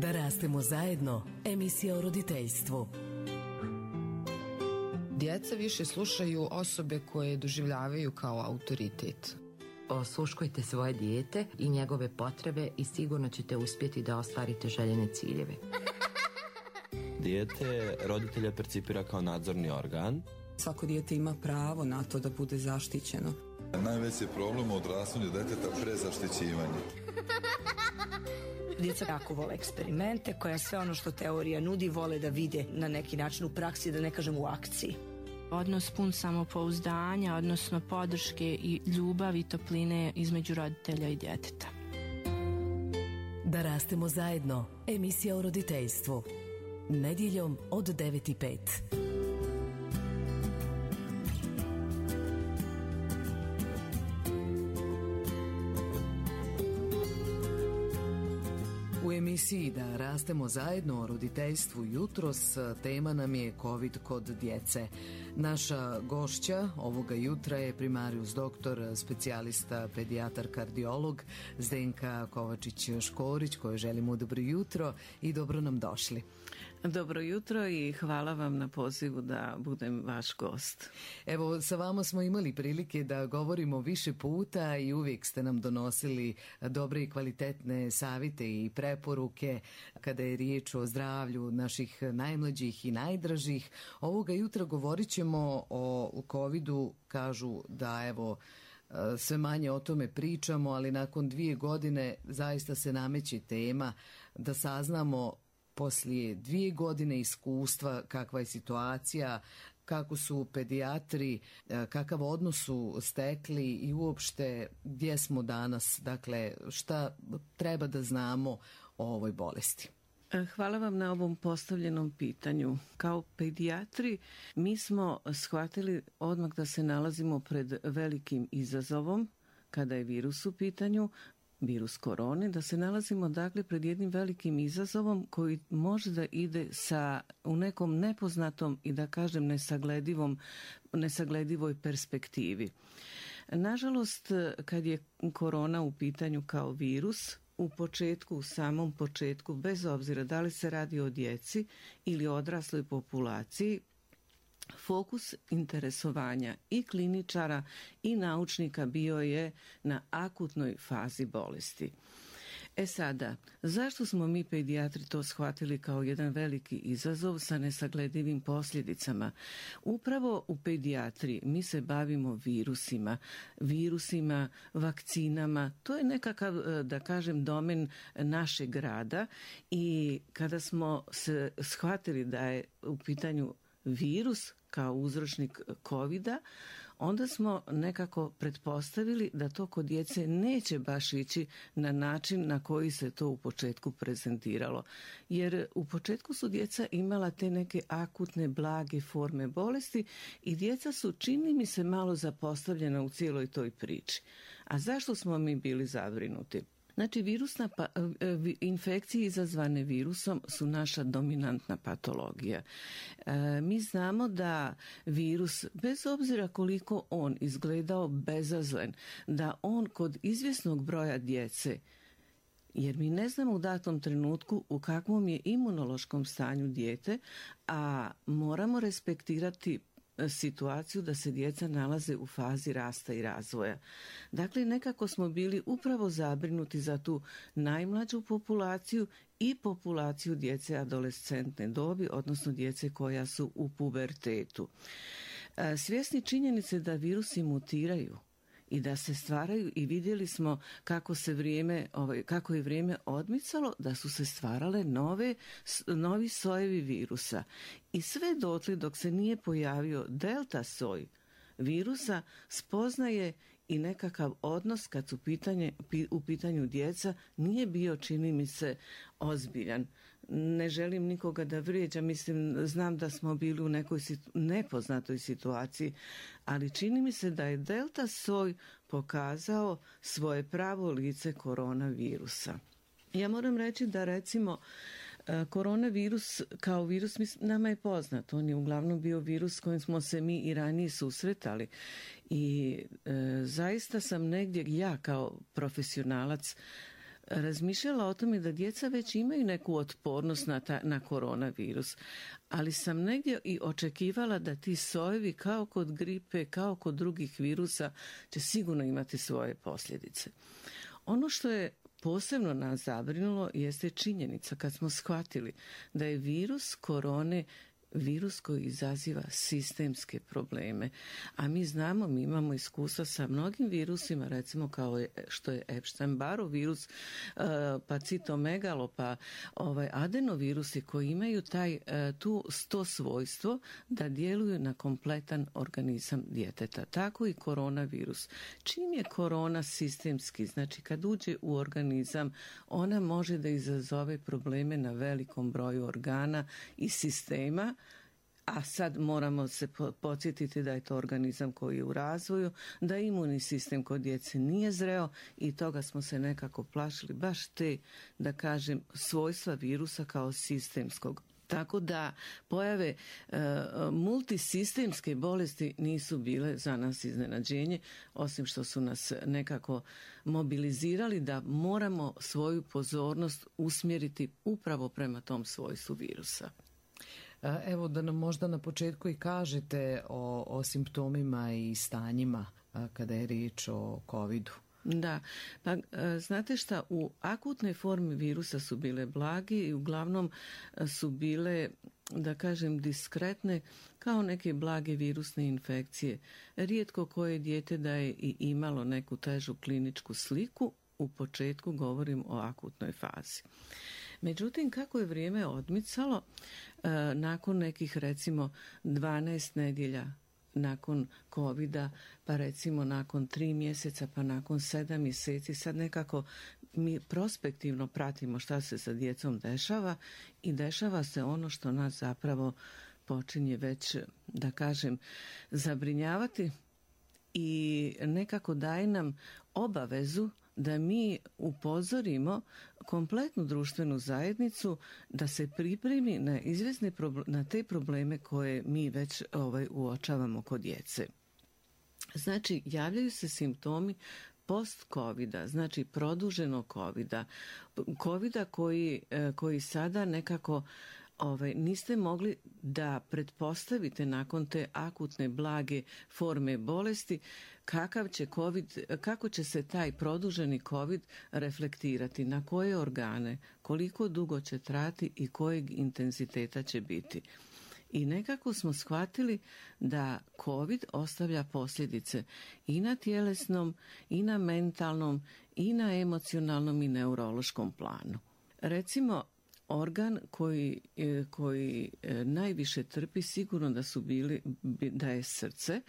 Da rastemo zajedno, emisija o roditeljstvu. Djeca više slušaju osobe koje doživljavaju kao autoritet. Osluškujte svoje dijete i njegove potrebe i sigurno ćete uspjeti da ostvarite željene ciljeve. Dijete roditelja percipira kao nadzorni organ. Svako dijete ima pravo na to da bude zaštićeno. Najveći problem u odrastanju djeteta prezaštićivanje. Djeca jako vole eksperimente, koja sve ono što teorija nudi vole da vide na neki način u praksi, da ne kažem u akciji. Odnos pun samopouzdanja, odnosno podrške i ljubavi i topline između roditelja i djeteta. Da rastemo zajedno, emisija o roditeljstvu. Nedjeljom od 9:05. U emisiji Da rastemo zajedno o roditeljstvu jutros tema nam je COVID kod djece. Naša gošća ovoga jutra je primarius doktor, specijalista, pedijatar, kardiolog Zdenka Kovačić-Škorić, kojoj želimo dobro jutro i dobro nam došli. Dobro jutro i hvala vam na pozivu da budem vaš gost. Evo, sa vama smo imali prilike da govorimo više puta i uvijek ste nam donosili dobre i kvalitetne savjete i preporuke kada je riječ o zdravlju naših najmlađih i najdražih. Ovoga jutra govorit ćemo o covidu, kažu da evo sve manje o tome pričamo, ali nakon 2 godine zaista se nameće tema da saznamo poslije 2 godine iskustva kakva je situacija, kako su pedijatri, kakav odnos su stekli i uopšte gdje smo danas, dakle šta treba da znamo o ovoj bolesti. Hvala vam na ovom postavljenom pitanju. Kao pedijatri mi smo shvatili odmah da se nalazimo pred velikim izazovom kada je virus u pitanju, virus korone, da se nalazimo dakle pred jednim velikim izazovom koji može da ide u nekom nepoznatom i da kažem nesagledivoj perspektivi. Nažalost, kad je korona u pitanju kao virus, u samom početku, bez obzira da li se radi o djeci ili odrasloj populaciji, fokus interesovanja i kliničara i naučnika bio je na akutnoj fazi bolesti. Sada, zašto smo mi pedijatri to shvatili kao jedan veliki izazov sa nesagledivim posljedicama? Upravo u pedijatriji mi se bavimo virusima, vakcinama, to je nekakav, da kažem, domen našeg rada i kada smo se shvatili da je u pitanju virus kao uzročnik covida, onda smo nekako pretpostavili da to kod djece neće baš ići na način na koji se to u početku prezentiralo. Jer u početku su djeca imala te neke akutne, blage forme bolesti i djeca su, čini mi se, malo zapostavljena u cijeloj toj priči. A zašto smo mi bili zabrinuti? Znači, infekcije izazvane virusom su naša dominantna patologija. Mi znamo da virus, bez obzira koliko on izgledao bezazlen, da on kod izvjesnog broja djece, jer mi ne znamo u datom trenutku u kakvom je imunološkom stanju dijete, a moramo respektirati situaciju da se djeca nalaze u fazi rasta i razvoja. Dakle, nekako smo bili upravo zabrinuti za tu najmlađu populaciju i populaciju djece adolescentne dobi, odnosno djece koja su u pubertetu. Svjesni činjenice da virusi mutiraju i da se stvaraju i vidjeli smo kako je vrijeme odmicalo, da su se stvarale novi sojevi virusa. I sve dotle dok se nije pojavio delta soj virusa, spoznaje i nekakav odnos kad su u pitanju djeca nije bio, čini mi se, ozbiljan. Ne želim nikoga da vrijeđam, znam da smo bili u nekoj nepoznatoj situaciji, ali čini mi se da je delta soj pokazao svoje pravo lice koronavirusa. Ja moram reći da recimo koronavirus kao virus nama je poznat. On je uglavnom bio virus s kojim smo se mi i ranije susretali i zaista sam negdje, ja kao profesionalac, razmišljala o tome da djeca već imaju neku otpornost na koronavirus, ali sam negdje i očekivala da ti sojevi kao kod gripe, kao kod drugih virusa će sigurno imati svoje posljedice. Ono što je posebno nas zabrinulo jeste činjenica kad smo shvatili da je virus korone virus koji izaziva sistemske probleme. A mi znamo, mi imamo iskustva sa mnogim virusima, recimo kao što je Epstein-Barrov virus, pa citomegalo, pa adenovirusi koji imaju to svojstvo da djeluju na kompletan organizam djeteta. Tako i koronavirus. Čim je korona sistemski, znači kad uđe u organizam, ona može da izazove probleme na velikom broju organa i sistema, a sad moramo se podsjetiti da je to organizam koji je u razvoju, da imunni sistem kod djece nije zreo i toga smo se nekako plašili, baš te, da kažem, svojstva virusa kao sistemskog. Tako da pojave multisistemske bolesti nisu bile za nas iznenađenje, osim što su nas nekako mobilizirali da moramo svoju pozornost usmjeriti upravo prema tom svojstvu virusa. Evo da nam možda na početku i kažete o simptomima i stanjima kada je riječ o COVID-u. Da, pa znate šta, u akutnoj formi virusa su bile blagi i uglavnom su bile, da kažem, diskretne kao neke blage virusne infekcije. Rijetko koje dijete da je i imalo neku težu kliničku sliku, u početku govorim o akutnoj fazi. Međutim, kako je vrijeme odmicalo, nakon nekih recimo 12 nedjelja nakon COVID-a, pa recimo nakon 3 mjeseca, pa nakon 7 mjeseci, sad nekako mi prospektivno pratimo šta se sa djecom dešava i dešava se ono što nas zapravo počinje već, da kažem, zabrinjavati i nekako daje nam obavezu da mi upozorimo kompletnu društvenu zajednicu da se pripremi na te probleme koje mi već uočavamo kod djece. Znači, javljaju se simptomi post-covida, znači produženog covida koji sada nekako niste mogli da pretpostavite nakon te akutne blage forme bolesti kako će se taj produženi COVID reflektirati, na koje organe, koliko dugo će trajati i kojeg intenziteta će biti. I nekako smo shvatili da COVID ostavlja posljedice i na tjelesnom, i na mentalnom, i na emocionalnom i neurološkom planu. Recimo, organ koji najviše trpi sigurno da je srce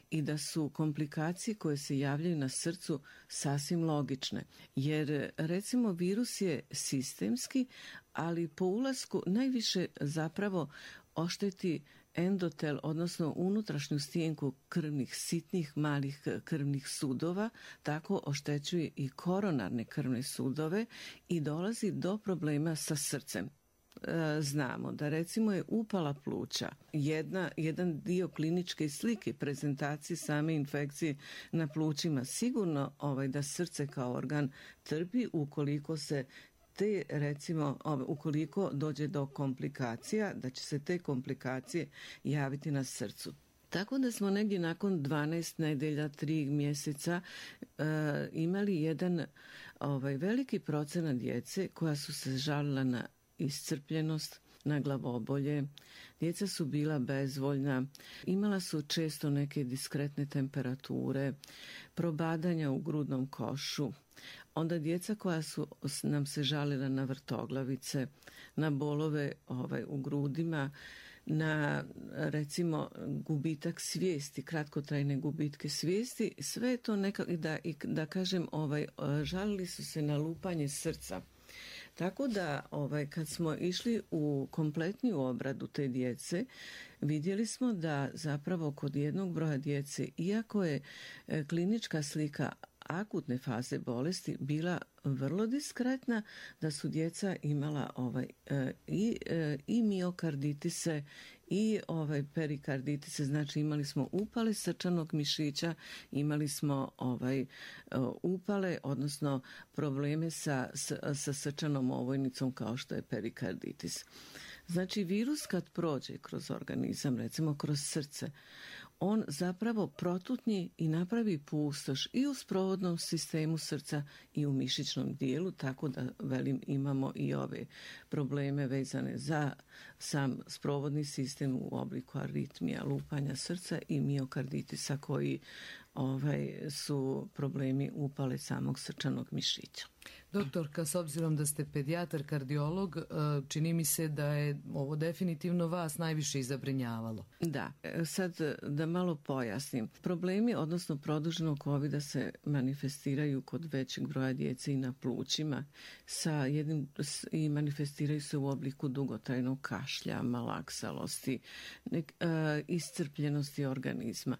i da su komplikacije koje se javljaju na srcu sasvim logične. Jer recimo virus je sistemski, ali po ulasku najviše zapravo ošteti endotel, odnosno unutrašnju stijenku krvnih, sitnih, malih krvnih sudova, tako oštećuje i koronarne krvne sudove i dolazi do problema sa srcem. Znamo da recimo je upala pluća jedan dio kliničke slike prezentacije same infekcije na plućima, sigurno da srce kao organ trpi ukoliko se ukoliko dođe do komplikacija, da će se te komplikacije javiti na srcu. Tako da smo negdje nakon 12 nedjelja, 3 mjeseca imali jedan veliki procenat djece koja su se žalila na iscrpljenost, na glavobolje, djeca su bila bezvoljna, imala su često neke diskretne temperature, probadanja u grudnom košu, onda djeca koja su nam se žalila na vrtoglavice, na bolove u grudima, na recimo gubitak svijesti, kratkotrajne gubitke svijesti, sve je to da kažem, žalili su se na lupanje srca. Tako da kad smo išli u kompletniju obradu te djece, vidjeli smo da zapravo kod jednog broja djece, iako je klinička slika akutne faze bolesti bila vrlo diskretna, da su djeca imala i miokarditise i perikarditis, znači imali smo upale srčanog mišića, imali smo upale, odnosno probleme sa srčanom ovojnicom kao što je perikarditis. Znači virus kad prođe kroz organizam, recimo kroz srce, on zapravo protutnji i napravi pustoš i u sprovodnom sistemu srca i u mišićnom dijelu, tako da imamo i ove probleme vezane za sam sprovodni sistem u obliku aritmija, lupanja srca i miokarditisa koji su problemi upale samog srčanog mišića. Doktorka, s obzirom da ste pedijatar, kardiolog, čini mi se da je ovo definitivno vas najviše i zabrinjavalo. Da, sad da malo pojasnim. Problemi, odnosno produženog covida se manifestiraju kod većeg broja djece i na plućima i manifestiraju se u obliku dugotrajnog kašlja, malaksalosti, iscrpljenosti organizma.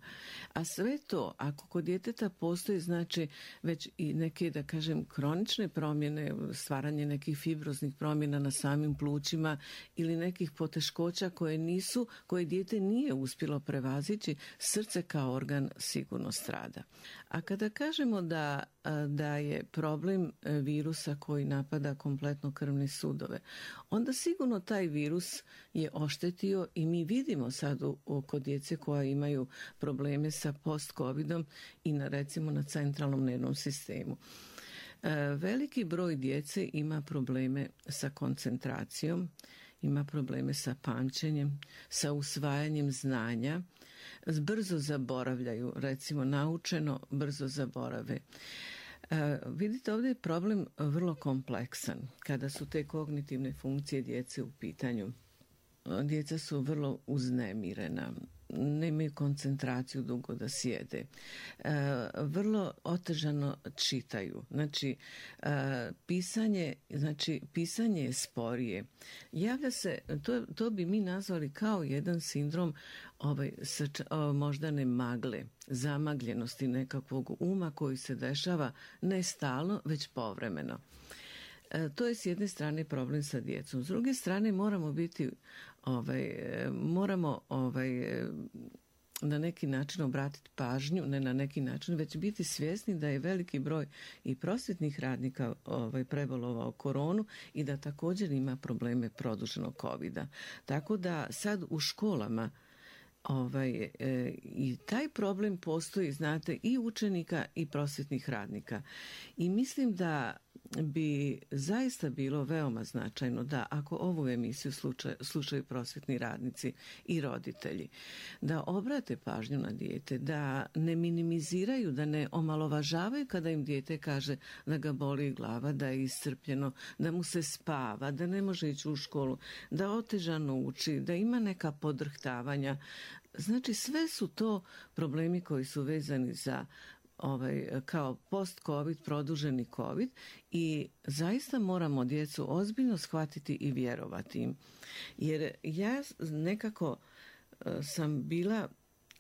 A sve to, ako kod djeteta postoji znači već i neke, da kažem, kronične promjene, stvaranje nekih fibroznih promjena na samim plućima ili nekih poteškoća koje dijete nije uspjelo prevazići, srce kao organ sigurno strada. A kada kažemo da je problem virusa koji napada kompletno krvne sudove, onda sigurno taj virus je oštetio i mi vidimo sad kod djece koja imaju probleme sa post-covidom i recimo na centralnom nervnom sistemu. Veliki broj djece ima probleme sa koncentracijom, ima probleme sa pamćenjem, sa usvajanjem znanja, brzo zaboravljaju, recimo naučeno brzo zaborave. Vidite, ovdje je problem vrlo kompleksan kada su te kognitivne funkcije djece u pitanju. Djeca su vrlo uznemirena, nemaju koncentraciju dugo da sjede, vrlo otežano čitaju, pisanje je sporije. Javlja se, to bi mi nazvali kao jedan sindrom moždane magle, zamagljenosti nekakvog uma koji se dešava ne stalno, već povremeno. To je s jedne strane problem sa djecom. S druge strane moramo na neki način obratiti pažnju, ne na neki način, već biti svjesni da je veliki broj i prosvjetnih radnika prebolovao koronu i da također ima probleme produženog covida. Tako da sad u školama i taj problem postoji, znate, i učenika i prosvjetnih radnika. I mislim da bi zaista bilo veoma značajno da ako ovu emisiju slušaju prosvjetni radnici i roditelji, da obrate pažnju na dijete, da ne minimiziraju, da ne omalovažavaju kada im dijete kaže da ga boli glava, da je iscrpljeno, da mu se spava, da ne može ići u školu, da otežano uči, da ima neka podrhtavanja. Znači sve su to problemi koji su vezani za kao post-covid, produženi covid i zaista moramo djecu ozbiljno shvatiti i vjerovati im. Jer ja nekako sam bila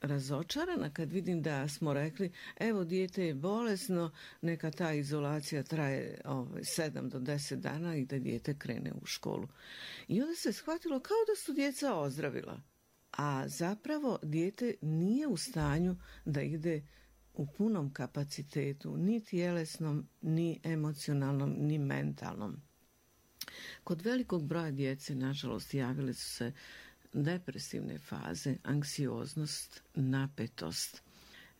razočarana kad vidim da smo rekli evo dijete je bolesno, neka ta izolacija traje 7 do 10 dana i da dijete krene u školu. I onda se shvatilo kao da su djeca ozdravila, a zapravo dijete nije u stanju da ide u punom kapacitetu, ni tjelesnom, ni emocionalnom, ni mentalnom. Kod velikog broja djece, nažalost, javile su se depresivne faze, anksioznost, napetost.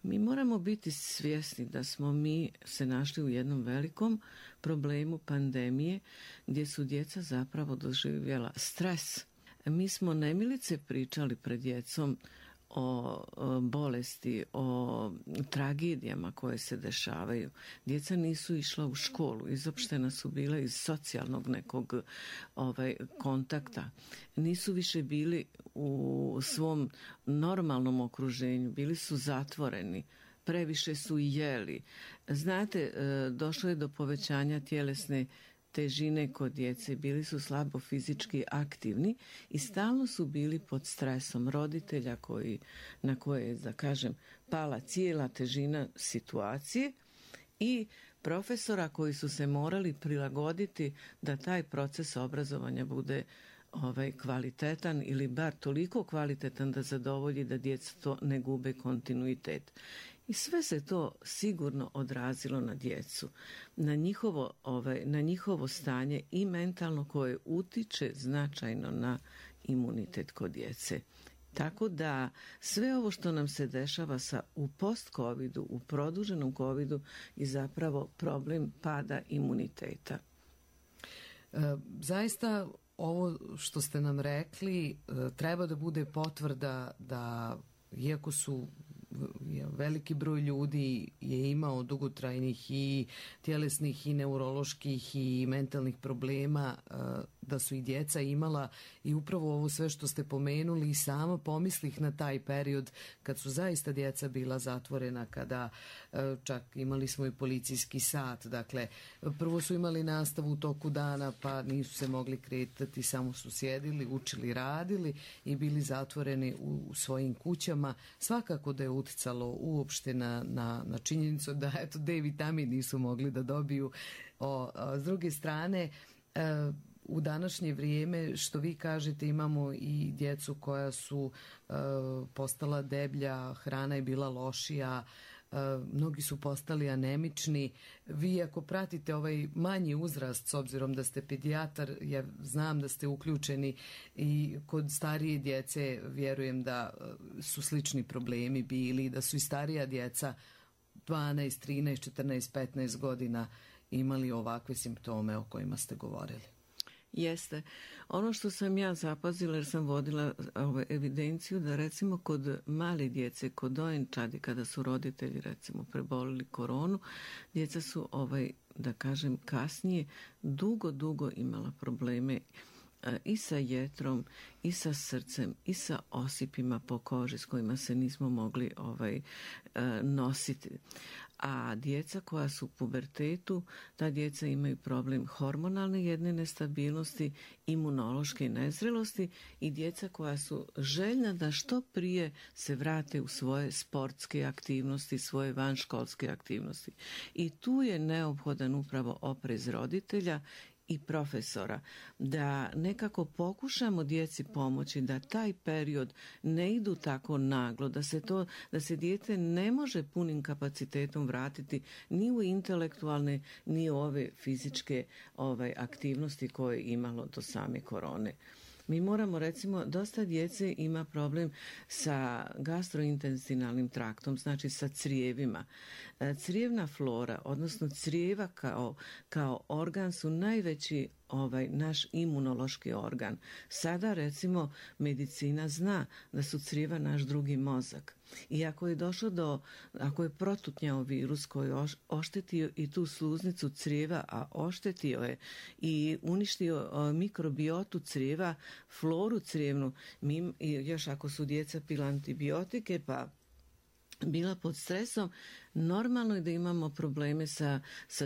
Mi moramo biti svjesni da smo mi se našli u jednom velikom problemu pandemije gdje su djeca zapravo doživjela stres. Mi smo nemilice pričali pred djecom o bolesti, o tragedijama koje se dešavaju. Djeca nisu išla u školu, izopštena su bila iz socijalnog nekog kontakta. Nisu više bili u svom normalnom okruženju, bili su zatvoreni, previše su jeli. Znate, došlo je do povećanja tjelesne težine kod djece, bili su slabo fizički aktivni i stalno su bili pod stresom roditelja na koje je, da kažem, pala cijela težina situacije i profesora koji su se morali prilagoditi da taj proces obrazovanja bude kvalitetan ili bar toliko kvalitetan da zadovolji da djeca to ne gube kontinuitet. I sve se to sigurno odrazilo na djecu, na njihovo stanje i mentalno koje utiče značajno na imunitet kod djece. Tako da sve ovo što nam se dešava u post-covidu, u produženom covidu je zapravo problem pada imuniteta. Zaista ovo što ste nam rekli treba da bude potvrda da iako su veliki broj ljudi je imao dugotrajnih i tjelesnih i neuroloških i mentalnih problema, da su i djeca imala i upravo ovo sve što ste pomenuli i sama pomislih na taj period kad su zaista djeca bila zatvorena, kada čak imali smo i policijski sat, dakle prvo su imali nastavu u toku dana pa nisu se mogli kretati, samo su sjedili, učili, radili i bili zatvoreni u svojim kućama. Svakako da je uticalo uopšte na činjenicu da eto D vitamin nisu mogli da dobiju. S druge strane, u današnje vrijeme, što vi kažete, imamo i djecu koja su postala deblja, hrana je bila lošija, mnogi su postali anemični. Vi ako pratite ovaj manji uzrast, s obzirom da ste pedijatar, ja znam da ste uključeni i kod starije djece, vjerujem da su slični problemi bili, da su i starija djeca 12, 13, 14, 15 godina imali ovakve simptome o kojima ste govorili. Jeste. Ono što sam ja zapazila, jer sam vodila evidenciju, da recimo kod male djece, kod dojenčadi, kada su roditelji recimo prebolili koronu, djeca su da kažem kasnije dugo imala probleme i sa jetrom, i sa srcem, i sa osipima po koži s kojima se nismo mogli nositi. A djeca koja su u pubertetu, ta djeca imaju problem hormonalne jedne nestabilnosti, imunološke nezrelosti i djeca koja su željna da što prije se vrate u svoje sportske aktivnosti, svoje vanškolske aktivnosti. I tu je neophodan upravo oprez roditelja i profesora, da nekako pokušamo djeci pomoći da taj period ne idu tako naglo, da se dijete ne može punim kapacitetom vratiti ni u intelektualne, ni u ove fizičke aktivnosti koje je imalo do same korone. Mi moramo, recimo, dosta djece ima problem sa gastrointestinalnim traktom, znači sa crijevima. Crijevna flora, odnosno crijeva kao organ su najveći naš imunološki organ. Sada, recimo, medicina zna da su crijeva naš drugi mozak. I ako je protutnjao virus koji je oštetio i tu sluznicu crijeva, a oštetio je i uništio mikrobiotu crijeva, floru crijevnu, još ako su djeca pila antibiotike pa bila pod stresom, normalno je da imamo probleme sa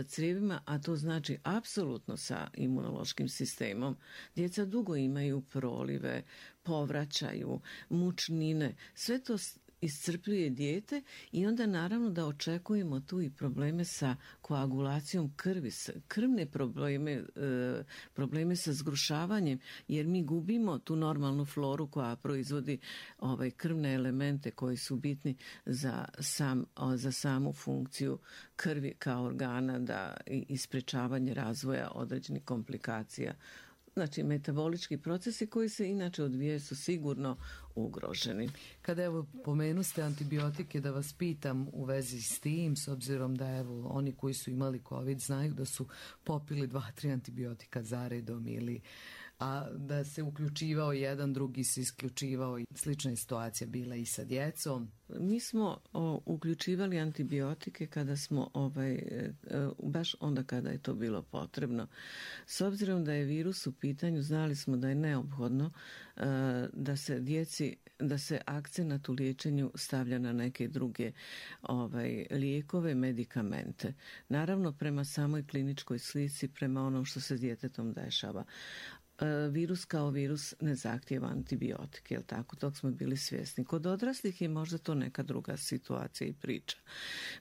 crijevima, a to znači apsolutno sa imunološkim sistemom. Djeca dugo imaju prolive, povraćaju, mučnine, sve to iscrpljuje dijete i onda naravno da očekujemo tu i probleme sa koagulacijom krvi, krvne probleme sa zgrušavanjem, jer mi gubimo tu normalnu floru koja proizvodi krvne elemente koji su bitni za samu funkciju krvi kao organa i sprečavanje razvoja određenih komplikacija. Znači, metabolički procesi koji se inače odvijaju su sigurno ugroženi. Kada pomenuste antibiotike, da vas pitam u vezi s tim, s obzirom da oni koji su imali COVID znaju da su popili 2-3 antibiotika zaredom a da se uključivao jedan, drugi se isključivao. Slična je situacija bila i sa djecom. Mi smo uključivali antibiotike kada smo, baš onda kada je to bilo potrebno. S obzirom da je virus u pitanju, znali smo da je neophodno da se akcenat u liječenju stavlja na neke druge lijekove, medikamente. Naravno, prema samoj kliničkoj slici, prema onom što se s djetetom dešava. virus kao virus ne zahtijeva antibiotike, jel tako? Tog smo bili svjesni. Kod odraslih je možda to neka druga situacija i priča.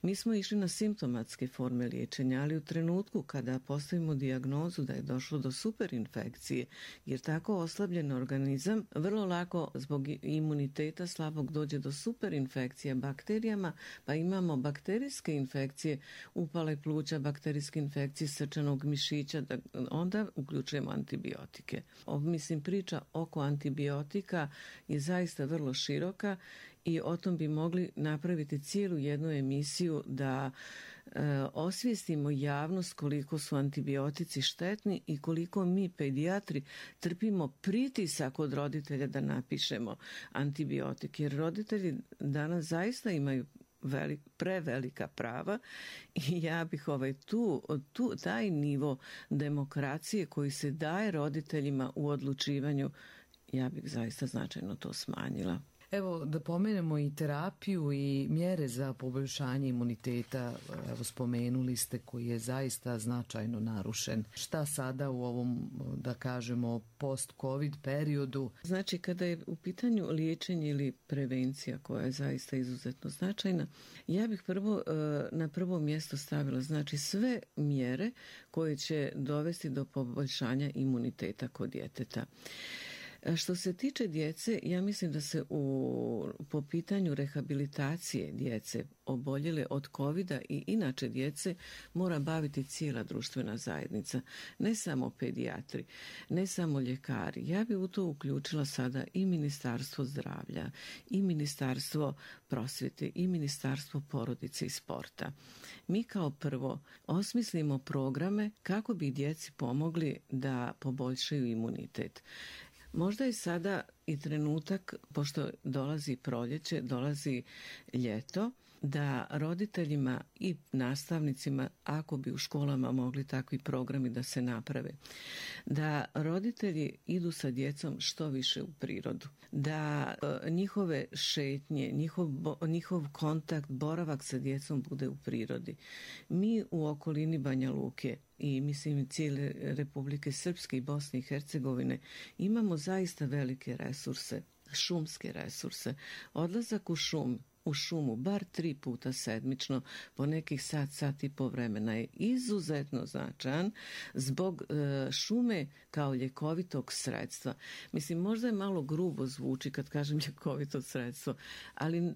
Mi smo išli na simptomatske forme liječenja, ali u trenutku kada postavimo dijagnozu da je došlo do superinfekcije, jer tako oslabljen organizam vrlo lako zbog imuniteta slabog dođe do superinfekcije bakterijama, pa imamo bakterijske infekcije, upale pluća, bakterijske infekcije srčanog mišića, onda uključujemo antibiotike. Mislim, priča oko antibiotika je zaista vrlo široka i o tom bi mogli napraviti cijelu jednu emisiju da osvijestimo javnost koliko su antibiotici štetni i koliko mi pedijatri trpimo pritisak od roditelja da napišemo antibiotik, jer roditelji danas zaista imaju prevelika prava i ja bih taj nivo demokracije koji se daje roditeljima u odlučivanju, ja bih zaista značajno to smanjila. Evo, da pomenemo i terapiju i mjere za poboljšanje imuniteta, evo spomenuli ste, koji je zaista značajno narušen. Šta sada u ovom, da kažemo, post-covid periodu? Znači, kada je u pitanju liječenje ili prevencija koja je zaista izuzetno značajna, ja bih na prvo mjesto stavila znači sve mjere koje će dovesti do poboljšanja imuniteta kod djeteta. Što se tiče djece, ja mislim da se po pitanju rehabilitacije djece oboljele od covida i inače djece mora baviti cijela društvena zajednica, ne samo pedijatri, ne samo ljekari. Ja bi u to uključila sada i Ministarstvo zdravlja, i Ministarstvo prosvjete, i Ministarstvo porodice i sporta. Mi kao prvo osmislimo programe kako bi djeci pomogli da poboljšaju imunitet. Možda je sada i trenutak, pošto dolazi proljeće, dolazi ljeto, da roditeljima i nastavnicima, ako bi u školama mogli takvi programi da se naprave, da roditelji idu sa djecom što više u prirodu, da njihove šetnje, njihov kontakt, boravak sa djecom bude u prirodi. Mi u okolini Banja Luke i mislim cijele Republike Srpske i Bosne i Hercegovine imamo zaista velike resurse, šumske resurse. Odlazak u šumu bar 3 puta sedmično po nekih sat i po vremena je izuzetno značajan zbog šume kao ljekovitog sredstva. Mislim, možda je malo grubo zvuči kad kažem ljekovito sredstvo, ali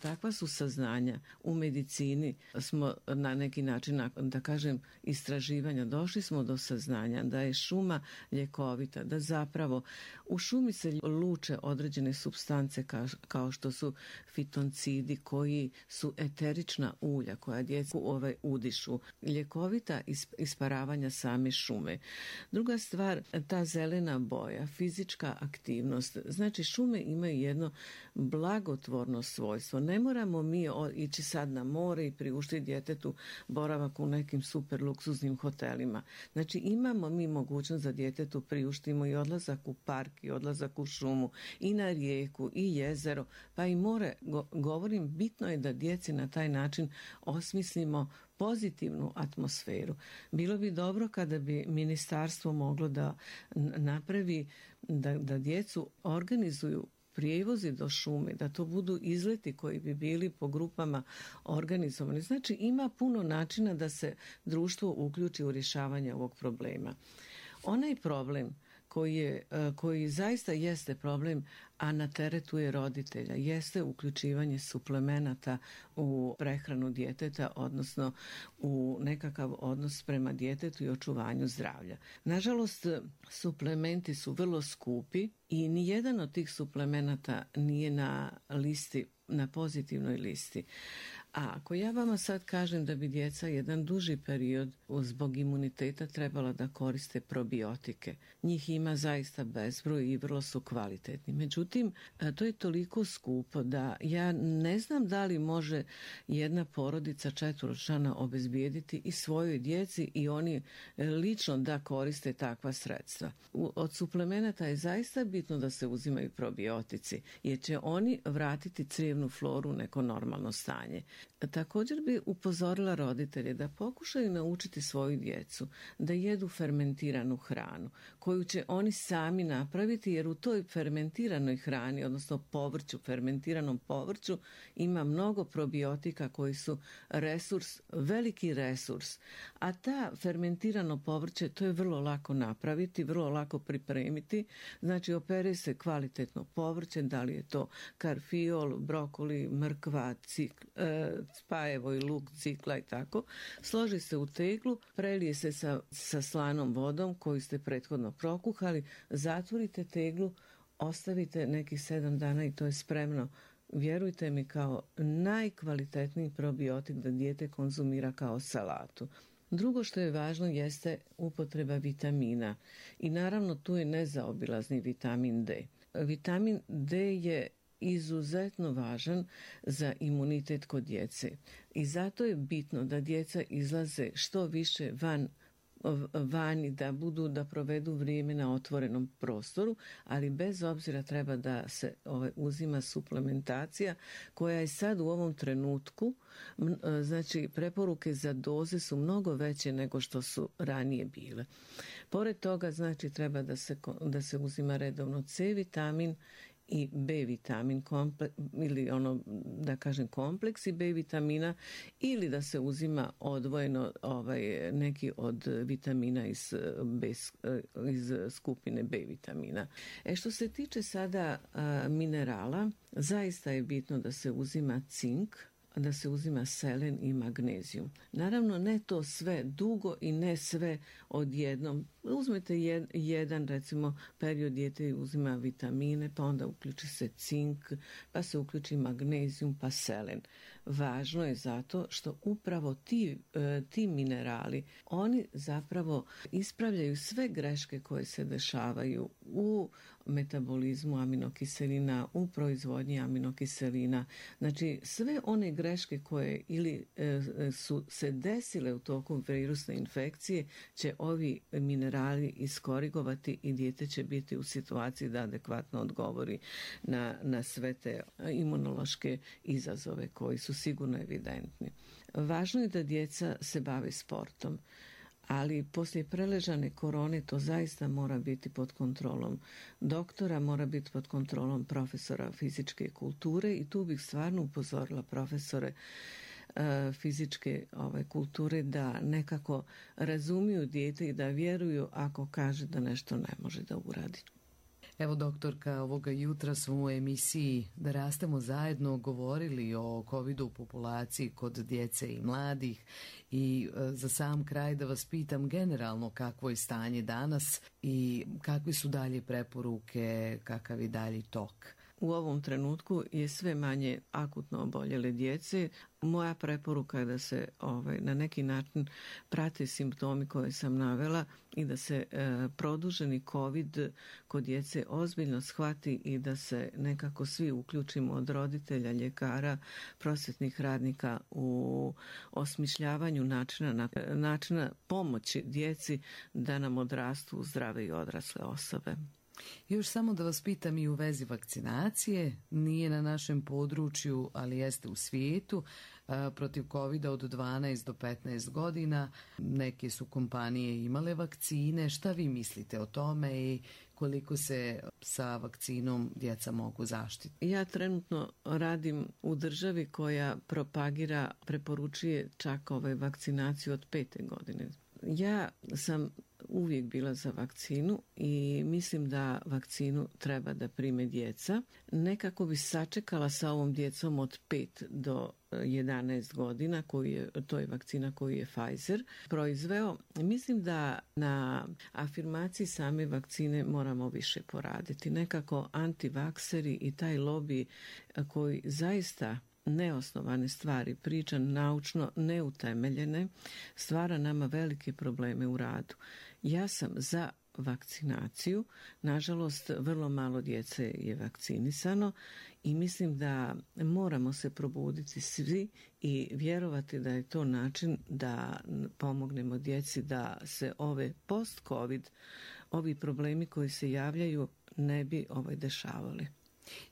takva su saznanja u medicini. Smo na neki način, da kažem, istraživanja, došli smo do saznanja da je šuma ljekovita, da zapravo u šumi se luče određene supstance kao što su fitoncidi koji su eterična ulja koja djecu udišu, ljekovita isparavanja same šume. Druga stvar, ta zelena boja, fizička aktivnost. Znači, šume imaju jedno blagotvorno svojstvo. Ne moramo mi ići sad na more i priuštiti djetetu boravak u nekim super luksuznim hotelima. Znači, imamo mi mogućnost da djetetu priuštimo i odlazak u park, i odlazak u šumu, i na rijeku, i jezero, pa i more. Govorim, bitno je da djeci na taj način osmislimo pozitivnu atmosferu. Bilo bi dobro kada bi ministarstvo moglo da napravi, da djecu organizuju prijevozi do šume, da to budu izleti koji bi bili po grupama organizovani. Znači, ima puno načina da se društvo uključi u rješavanje ovog problema. Onaj problem koji zaista jeste problem, a na teretu je roditelja, jeste uključivanje suplemenata u prehranu djeteta, odnosno u nekakav odnos prema djetetu i očuvanju zdravlja. Nažalost, suplementi su vrlo skupi i nijedan od tih suplemenata nije na pozitivnoj listi. A ako ja vama sad kažem da bi djeca jedan duži period zbog imuniteta trebala da koriste probiotike, njih ima zaista bezbroj i vrlo su kvalitetni. Međutim, to je toliko skupo da ja ne znam da li može jedna porodica 4-člana obezbijediti i svojoj djeci i oni lično da koriste takva sredstva. Od suplemenata je zaista bitno da se uzimaju probiotici, jer će oni vratiti crijevnu floru u neko normalno stanje. Također bi upozorila roditelje da pokušaju naučiti svoju djecu da jedu fermentiranu hranu koju će oni sami napraviti, jer u toj fermentiranoj hrani, odnosno povrću, fermentiranom povrću, ima mnogo probiotika koji su resurs, veliki resurs. A ta fermentirano povrće, to je vrlo lako napraviti, vrlo lako pripremiti. Znači, opere se kvalitetno povrće, da li je to karfiol, brokoli, mrkva, spajevo i luk, cikla i tako. Složi se u teglu, prelije se sa slanom vodom koju ste prethodno prokuhali, zatvorite teglu, ostavite nekih 7 dana i to je spremno. Vjerujte mi, kao najkvalitetniji probiotik da dijete konzumira kao salatu. Drugo što je važno jeste upotreba vitamina i naravno tu je nezaobilazni vitamin D. Vitamin D je izuzetno važan za imunitet kod djece i zato je bitno da djeca izlaze što više vani, da provedu vrijeme na otvorenom prostoru, ali bez obzira treba da se uzima suplementacija koja je sad u ovom trenutku, znači preporuke za doze su mnogo veće nego što su ranije bile. Pored toga, znači, treba da se uzima redovno C vitamin i B vitamin ili kompleksi B vitamina, ili da se uzima odvojeno neki od vitamina iz skupine B vitamina. Što se tiče sada minerala, zaista je bitno da se uzima cink, da se uzima selen i magnezijum. Naravno, ne to sve dugo i ne sve odjednom. Uzmete jedan, recimo, period dijete uzima vitamine, pa onda uključi se cink, pa se uključi magnezijum, pa selen. Važno je zato što upravo ti minerali, oni zapravo ispravljaju sve greške koje se dešavaju u metabolizmu aminokiselina, u proizvodnji aminokiselina. Znači, sve one greške koje ili su se desile u toku virusne infekcije će ovi minerali iskorigovati i dijete će biti u situaciji da adekvatno odgovori na sve te imunološke izazove koji su sigurno evidentni. Važno je da djeca se bave sportom, ali poslije preležane korone to zaista mora biti pod kontrolom doktora, mora biti pod kontrolom profesora fizičke kulture i tu bih stvarno upozorila profesore fizičke kulture da nekako razumiju dijete i da vjeruju ako kaže da nešto ne može da uradi. Evo, doktorka, ovoga jutra smo u emisiji Da rastemo zajedno govorili o covidu u populaciji kod djece i mladih i za sam kraj da vas pitam generalno kakvo je stanje danas i kakve su dalje preporuke, kakav je dalji tok. U ovom trenutku je sve manje akutno oboljele djece. Moja preporuka je da se na neki način prate simptomi koje sam navela i da se produženi COVID kod djece ozbiljno shvati i da se nekako svi uključimo od roditelja, ljekara, prosvjetnih radnika u osmišljavanju načina pomoći djeci da nam odrastu zdrave i odrasle osobe. Još samo da vas pitam i u vezi vakcinacije, nije na našem području, ali jeste u svijetu, protiv covida od 12 do 15 godina. Neke su kompanije imale vakcine. Šta vi mislite o tome i koliko se sa vakcinom djeca mogu zaštiti? Ja trenutno radim u državi koja preporučuje čak vakcinaciju od 5. godine. Ja sam uvijek bila za vakcinu i mislim da vakcinu treba da prime djeca. Nekako bi sačekala sa ovom djecom od 5 do 11 godina, to je vakcina koju je Pfizer proizveo. Mislim da na afirmaciji same vakcine moramo više poraditi. Nekako antivakseri i taj lobby koji zaista neosnovane stvari priča, naučno neutemeljene, stvara nama velike probleme u radu. Ja sam za vakcinaciju, nažalost vrlo malo djece je vakcinisano i mislim da moramo se probuditi svi i vjerovati da je to način da pomognemo djeci da se ove post-covid, ovi problemi koji se javljaju ne bi dešavali.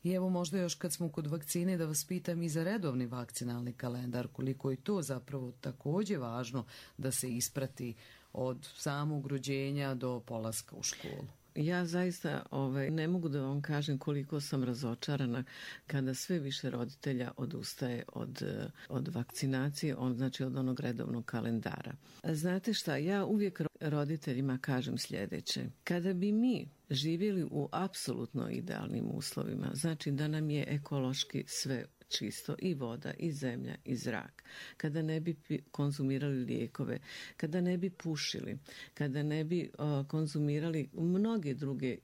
I evo možda još kad smo kod vakcine da vas pitam i za redovni vakcinalni kalendar, koliko je to zapravo također važno da se isprati od samog rođenja do polaska u školu. Ja zaista ne mogu da vam kažem koliko sam razočarana kada sve više roditelja odustaje od vakcinacije, znači od onog redovnog kalendara. Znate šta, ja uvijek roditeljima kažem sljedeće. Kada bi mi živjeli u apsolutno idealnim uslovima, znači da nam je ekološki sve čisto, i voda, i zemlja, i zrak, kada ne bi konzumirali lijekove, kada ne bi pušili, kada ne bi konzumirali mnoge druge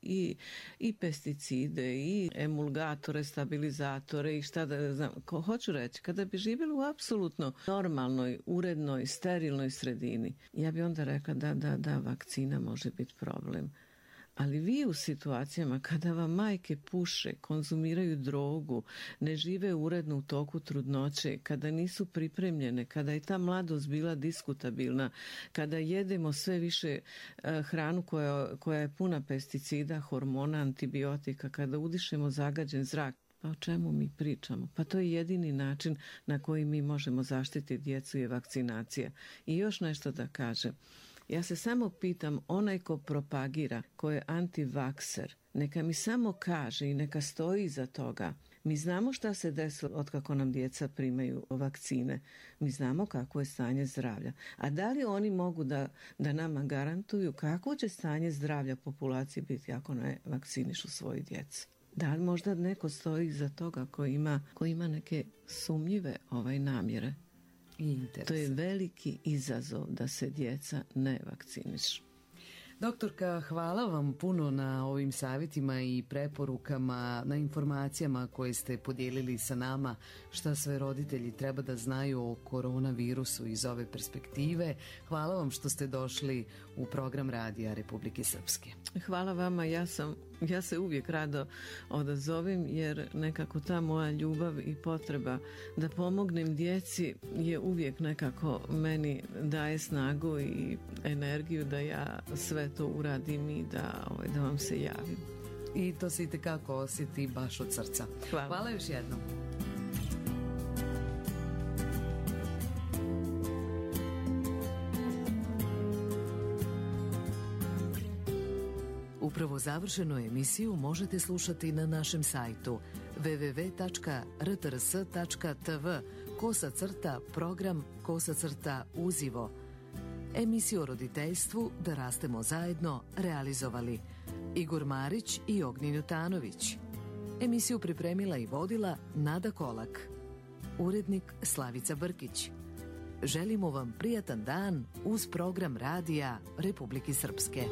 i pesticide, i emulgatore, stabilizatore i šta da znam, hoću reći, kada bi živjeli u apsolutno normalnoj, urednoj, sterilnoj sredini, ja bi onda rekla da, vakcina može biti problem. Ali vi u situacijama kada vam majke puše, konzumiraju drogu, ne žive uredno u toku trudnoće, kada nisu pripremljene, kada je ta mladost bila diskutabilna, kada jedemo sve više hranu koja je puna pesticida, hormona, antibiotika, kada udišemo zagađen zrak, pa o čemu mi pričamo? Pa to je jedini način na koji mi možemo zaštiti djecu je vakcinacija. I još nešto da kažem. Ja se samo pitam, onaj ko propagira, ko je antivakser, neka mi samo kaže i neka stoji iza toga. Mi znamo šta se desilo od kako nam djeca primaju vakcine. Mi znamo kako je stanje zdravlja. A da li oni mogu da nama garantuju kako će stanje zdravlja populacije biti ako ne vakcinišu svoju djecu? Da li možda neko stoji iza toga ko ima neke sumnjive namjere? To je veliki izazov da se djeca ne vakcinišu. Doktorka, hvala vam puno na ovim savjetima i preporukama, na informacijama koje ste podijelili sa nama, šta sve roditelji treba da znaju o koronavirusu iz ove perspektive. Hvala vam što ste došli u program Radija Republike Srpske. Hvala vama, ja se uvijek rado odazovem jer nekako ta moja ljubav i potreba da pomognem djeci je uvijek nekako meni daje snagu i energiju da ja sve to uradim i da vam se javim. I to se itekako osjeti baš od srca. Hvala još jednom. Upravo završenu emisiju možete slušati na našem sajtu www.rtrs.tv/program/uzivo. Emisiju o roditeljstvu Da rastemo zajedno realizovali Igor Marić i Ognjen Jutanović. Emisiju pripremila i vodila Nada Kolak. Urednik Slavica Brkić. Želimo vam prijatan dan uz program Radija Republike Srpske.